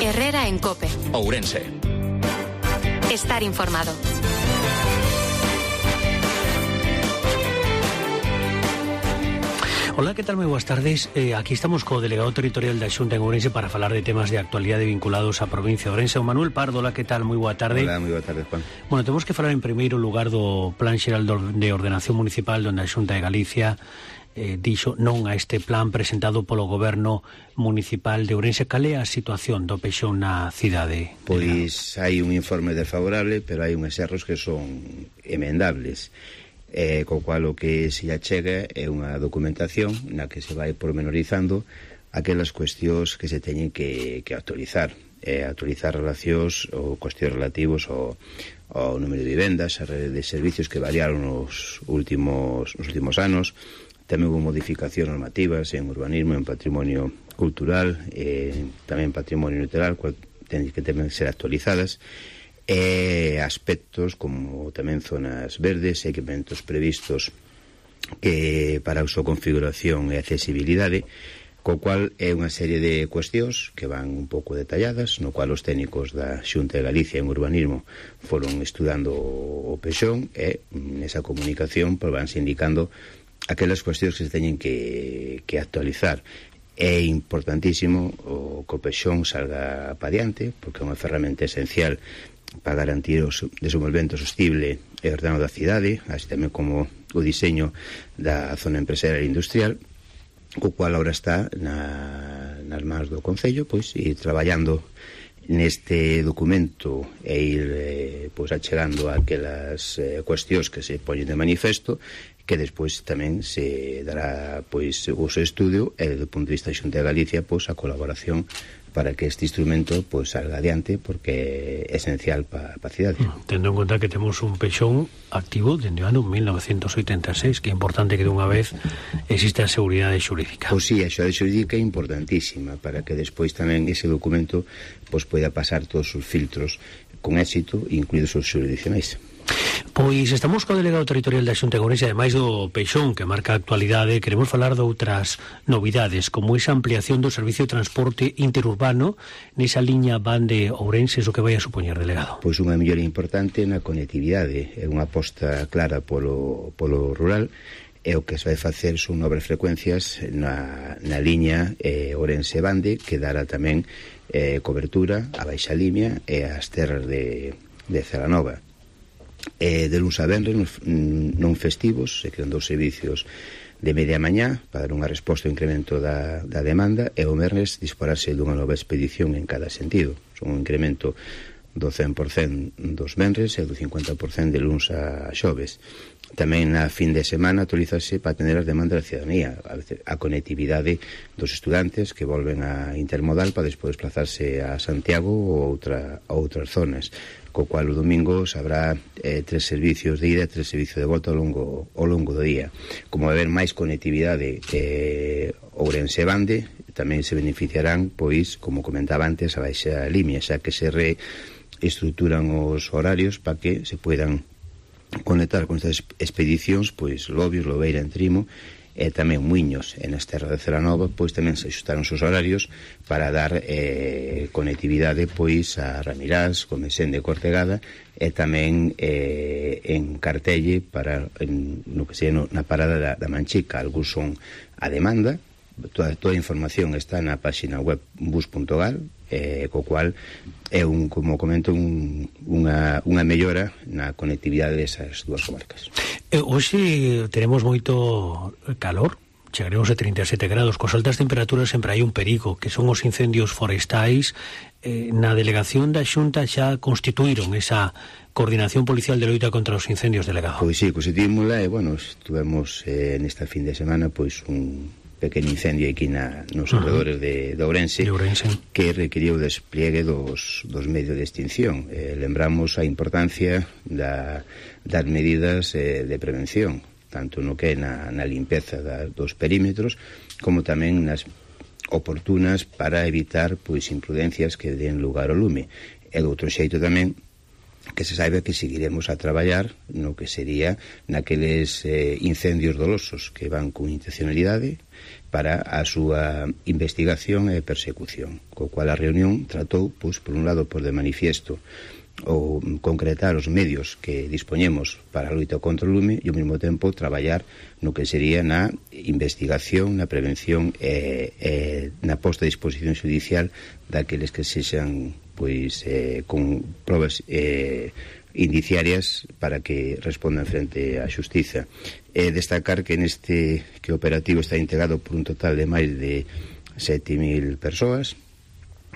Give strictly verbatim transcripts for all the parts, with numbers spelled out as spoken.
Herrera en COPE. Ourense. Estar informado. Hola, que tal? Moi boas tardes. Eh, aquí estamos co delegado territorial da Xunta en Ourense para falar de temas de actualidade vinculados á provincia de Ourense. O Manuel Pardo, hola, que tal? Moi boa tarde. Hola, moi boa tarde, Juan. Bueno, temos que falar en primeiro lugar do Plan Xeral de Ordenación Municipal, onde a Xunta de Galicia eh, dixo non a este plan presentado polo Goberno Municipal de Ourense. Cal é a situación do peixón na cidade? Pois hai un informe desfavorable, pero hai unhas erros que son emendables. Eh, co cual o que se achega é unha documentación na que se vai pormenorizando aquelas cuestións que se teñen que, que actualizar eh, actualizar relacións ou cuestións relativos ao, ao número de vivendas, a rede de servicios que variaron nos últimos, nos últimos anos. Tamén hubo modificacións normativas en urbanismo, en patrimonio cultural, eh, tamén patrimonio natural, cual ten que tamén ser actualizadas. E aspectos como tamén zonas verdes, equipamentos previstos que para a súa configuración e accesibilidade, co cual é unha serie de cuestións que van un pouco detalladas, no cual os técnicos da Xunta de Galicia en urbanismo foron estudando o peixón e nesa comunicación pues, vanse indicando aquelas cuestións que se teñen que, que actualizar. É importantísimo o que o peixón salga pa diante, porque é unha ferramenta esencial para garantir o desenvolvemento sostible e ordenado da cidade, así tamén como o diseño da zona empresarial e industrial, co cual agora está na, nas mans do Concello, pois, ir traballando neste documento e ir eh, pois, achegando aquelas eh, cuestións que se poñen de manifesto, que despois tamén se dará pois o seu estudio e, do punto de vista da Xunta de Galicia, pois a colaboración para que este instrumento pues, salga adiante, porque é esencial para a cidade. Tendo en conta que temos un peixón activo dende o ano mil novecentos oitenta e seis, que é importante que dunha vez existe a seguridade xurídica. Pois sí, a seguridade xurídica é importantísima para que despois tamén ese documento pues, poida pasar todos os filtros con éxito, incluídos os xurisdiccionais. Pois estamos co delegado territorial da Xunta de Ourense, ademais do peixón que marca a actualidade. Queremos falar de outras novidades, como esa ampliación do servicio de transporte interurbano nesa liña van de Ourense, o que vai a supoñer, delegado? Pois unha mellora importante na conectividade, é unha aposta clara polo, polo rural, e o que se vai facer son novas frecuencias na, na liña eh, Ourense-Bande, que dará tamén eh, cobertura a Baixa Limia e as terras de, de Celanova. Eh, de luns a venres non festivos se crean dous servicios de media mañá para dar unha resposta ao incremento da, da demanda, e o venres dispararse dunha nova expedición en cada sentido. Son un incremento do cen por cento dos venres e do cincuenta por cento de luns a xoves. Tamén a fin de semana actualizarse para atender as demandas da ciudadanía, a, veces, a conectividade dos estudantes que volven a intermodal para despois desplazarse a Santiago ou outra, a outras zonas, co cual o domingo habrá eh, tres servicios de ida e tres servicios de volta ao longo, ao longo do día. Como vai haber máis conectividade eh, Ourense-Bande, tamén se beneficiarán, pois, como comentaba antes, a Baixa Limia, xa que se reestructuran os horarios para que se puedan conectar con estas expedicións, pois Lobios, Lobeira, Entrimo e tamén Muiños en as terras de Celanova, pois tamén se axustaron os horarios para dar eh, conectividade pois a Ramirás, Comesén de Cortegada e tamén eh, en Cartelle para en, no que sea no, na parada da, da Manchica. Algúns son a demanda, toda, toda a información está na página web bus punto gal, eh, co cual é un, como comento, un, unha, unha mellora na conectividade desas dúas comarcas. Eh, hoxe tenemos moito calor, chegaremos a trinta e sete grados, cos altas temperaturas sempre hai un perigo, que son os incendios forestais. Eh, na delegación da Xunta xa constituíron esa coordinación policial de loita contra os incendios, delegado. Pois sí, constituímola e, bueno, estuvemos eh, nesta fin de semana, pois, un pequeno incendio aquí na, nos alrededores de, de, Ourense, de Ourense que requiriu o despliegue dos, dos medios de extinción. Eh, lembramos a importancia da, das medidas eh, de prevención, tanto no que na, na limpeza da, dos perímetros, como tamén nas oportunas para evitar pois imprudencias que den lugar ao lume. E do outro xeito tamén que se saiba que seguiremos a traballar no que sería naqueles eh, incendios dolosos que van con intencionalidade para a súa investigación e persecución, co cual a reunión tratou, pois, por un lado, por de manifiesto ou concretar os medios que dispoñemos para a loita contra o lume e ao mesmo tempo traballar no que sería na investigación, na prevención e, e na posta a disposición judicial daqueles que sexan pois eh, con probas eh, indiciarias para que respondan frente á xustiza. E destacar que neste que o operativo está integrado por un total de máis de sete mil persoas.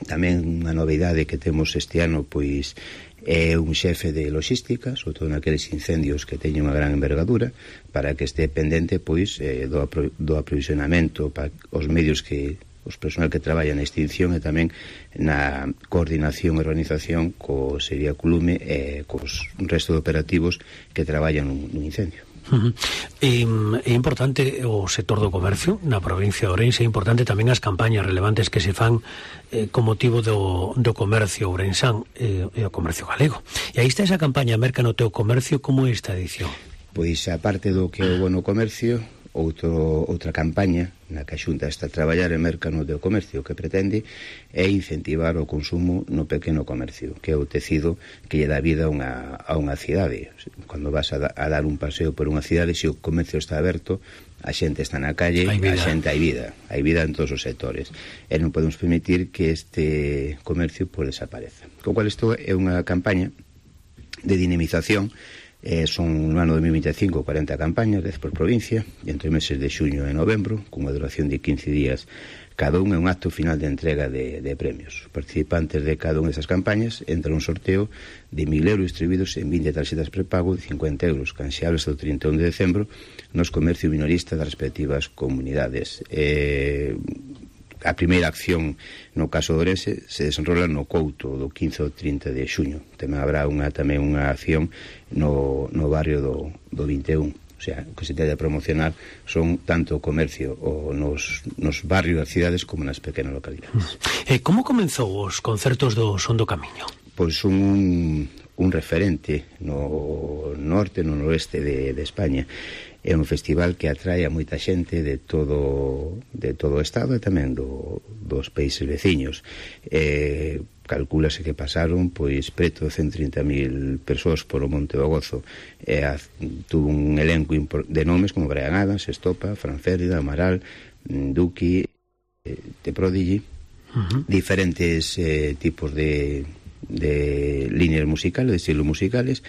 Tamén unha novidade que temos este ano pois é un xefe de logística, sobre todo naqueles incendios que teñen unha gran envergadura, para que este pendente pois eh, do, apro do aprovisionamento para os medios que os personal que traballa na extinción e tamén na coordinación e organización co sería co lume e cos resto de operativos que traballan nun, nun incendio. Uh-huh. É, é importante o sector do comercio na provincia de Ourense, é importante tamén as campañas relevantes que se fan eh, con motivo do, do comercio ourensán e, e o comercio galego. E aí está esa campaña Merca no teu comercio, como é esta edición? Pois a parte do que é o bono comercio, outro, outra campaña na que a Xunta está a traballar en Merca no teu comercio, que pretende é incentivar o consumo no pequeno comercio, que é o tecido que lle dá vida a unha, a unha cidade. Cando vas a, da, a dar un paseo por unha cidade, se o comercio está aberto, a xente está na calle, a xente hai vida, hai vida en todos os sectores. E non podemos permitir que este comercio pues, desapareza. Con cual isto é unha campaña de dinamización. Eh, son no ano dos mil veinticinco cuarenta campañas, dez por provincia, e entre meses de xuño e novembro, con unha duración de quince días cada un, é un acto final de entrega de, de premios. Os participantes de cada unha desas campañas entran un sorteo de mil euros distribuídos en vinte tarxetas prepago de cincuenta euros, canxeables do trinta e un de decembro nos comercio minorista das respectivas comunidades. Eh... A primeira acción no caso de Ourense se desenrola no Couto do quince ao trinta de xuño. Tamén habrá unha, tamén unha acción no, no barrio do, do vinte e un. O sea, o que se tende a promocionar son tanto o comercio o nos, nos barrios das cidades como nas pequenas localidades. E como comenzou os concertos do Son do Camiño? Pois son un, un referente no norte e no noroeste de, de España. É un festival que atrae a moita xente de todo de todo o estado e tamén do, dos países veciños. Eh, calculase que pasaron pois preto de ciento trinta mil persoas por o Monte do Gozo. Eh, tuvo un elenco de nomes como Brian Adams, Estopa, Fran Férida, Amaral, Duki, eh, The Prodigy, uh-huh. diferentes eh, tipos de, de líneas musicales, de estilos musicales.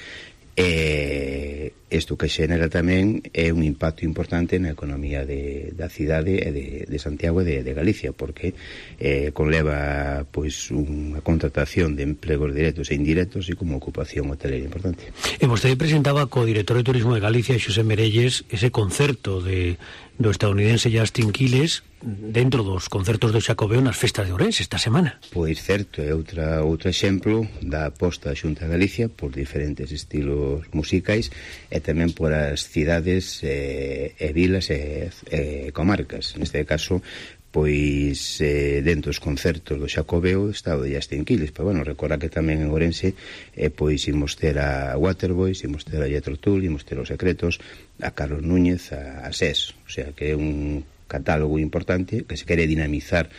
E isto que xenera tamén é un impacto importante na economía de, da cidade e de, de Santiago e de, de Galicia, porque eh, conleva pois unha contratación de empregos directos e indirectos e como ocupación hotelera importante. E vostede presentaba co director de Turismo de Galicia, Xosé Merelles, ese concerto de, do estadounidense Justin Quiles dentro dos concertos do Xacobeo nas festas de Ourense esta semana. Pois certo, é outra, outro exemplo da aposta da Xunta de Galicia por diferentes estilos musicais e tamén por as cidades eh, e vilas e, e comarcas. Neste caso, pois eh, dentro dos concertos do Xacobeo está o de Justin Quiles, pero bueno, recorda que tamén en Ourense eh, pois imos ter a Waterboys, imos ter a Jethro Tull, imos ter os Secretos, a Carlos Núñez, a, a S E S, o sea que é un catálogo importante que se quere dinamizar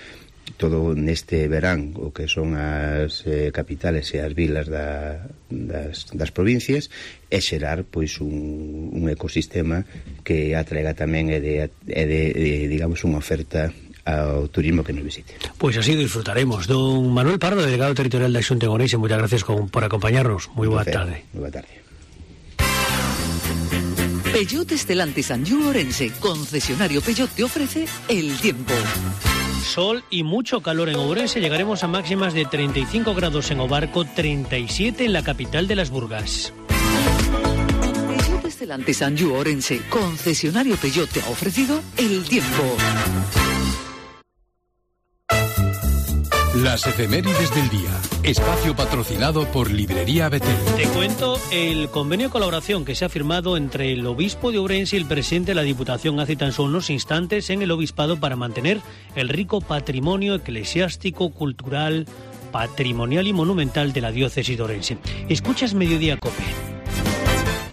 todo neste verán o que son as eh, capitales e as vilas da, das, das provincias e xerar pois un, un ecosistema que atraiga tamén e de, e de, de digamos unha oferta ao turismo que nos visite. Pois así disfrutaremos. Don Manuel Pardo, delegado territorial da Xunta de Ourense, moitas gracias con, por acompañarnos. Moi boa tarde. Moi boa tarde. Peugeot Stellantis Anjou Ourense, concesionario Peugeot, te ofrece el tiempo. Sol y mucho calor en Ourense, llegaremos a máximas de treinta y cinco grados en Obarco, treinta y siete en la capital de las Burgas. Peugeot Stellantis Anjou Ourense, concesionario Peugeot, te ha ofrecido el tiempo. Las efemérides del día. Espacio patrocinado por Librería Betel. Te cuento el convenio de colaboración que se ha firmado entre el obispo de Ourense y el presidente de la Diputación hace tan solo unos instantes en el obispado para mantener el rico patrimonio eclesiástico, cultural, patrimonial y monumental de la diócesis de Orense. Escuchas Mediodía Cope.